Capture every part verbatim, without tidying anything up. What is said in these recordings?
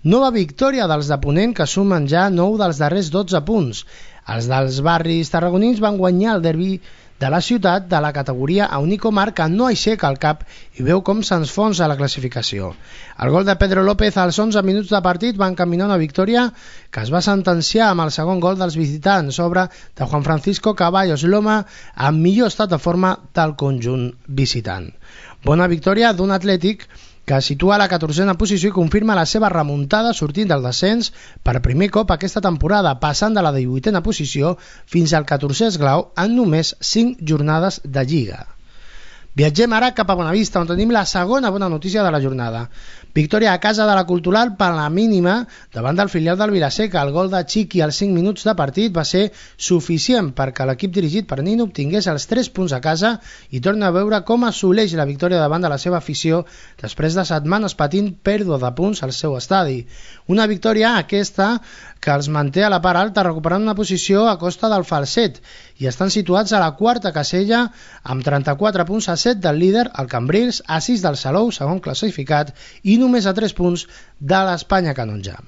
Nova victòria dels de Ponent, que sumen ja nou dels darrers dotze punts. Els dels barris tarragonins van guanyar el derbi de la ciutat de la categoria a Unico Mar, que no aixeca el cap i veu com s'enfonsa la classificació. El gol de Pedro López als onze minuts de partit va encaminar una victòria que es va sentenciar amb el segon gol dels visitants, sobre de Juan Francisco Caballos Loma, amb millor estat de forma del conjunt visitant. Bona victòria d'un Atlètic que situa a la catorzena posició i confirma la seva remuntada sortint del descens per primer cop aquesta temporada, passant de la divuitena posició fins al catorzè esglau en només cinc jornades de Lliga. Viatgem ara cap a Bonavista, on tenim la segona bona notícia de la jornada. Victòria a casa de la Cultural per la mínima davant del filial del Vilaseca. El gol de Chiqui als cinc minuts de partit va ser suficient perquè l'equip dirigit per Nino obtingués els tres punts a casa i torna a veure com assoleix la victòria davant de la seva afició després de setmanes patint pèrdua de punts al seu estadi. Una victòria aquesta que els manté a la part alta, recuperant una posició a costa del falset, i estan situats a la quarta casella amb trenta-quatre punts, a set del líder, el Cambrils, a sis del Salou, segon classificat, i només a tres punts de l'Espanya Canonja.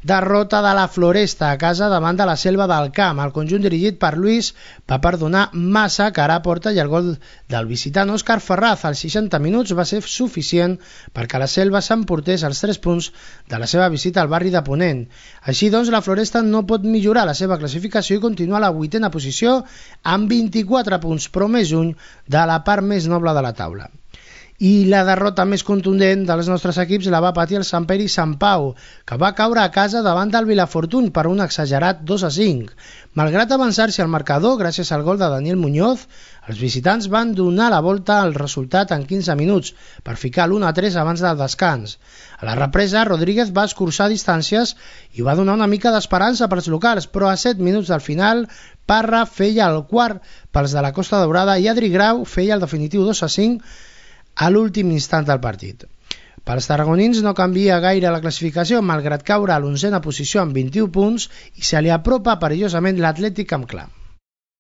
Derrota de la Floresta a casa davant de la Selva del Camp. El conjunt dirigit per Luis va perdonar massa cara a porta i el gol del visitant Òscar Ferraz als seixanta minuts va ser suficient perquè la Selva s'emportés els tres punts de la seva visita al barri de Ponent. Així doncs, la Floresta no pot millorar la seva classificació i continua a la vuitena posició amb vint-i-quatre punts, però més lluny de la part més noble de la taula. I la derrota més contundent dels nostres equips la va patir el Sant Pere i Sant Pau, que va caure a casa davant del Vilafortuny per un exagerat dos a cinc. Malgrat avançar-se al marcador gràcies al gol de Daniel Muñoz, els visitants van donar la volta al resultat en quinze minuts per ficar l'u a tres abans del descans. A la represa, Rodríguez va escurçar distàncies i va donar una mica d'esperança pels locals, però a set minuts del final, Parra feia el quart pels de la Costa Daurada i Adri Grau feia el definitiu dos a cinc a l'últim instant del partit. Pels tarragonins no canvia gaire la classificació, malgrat caure a l'onzena posició amb vint-i-un punts, i se li apropa perillosament l'Atlètic amb clar.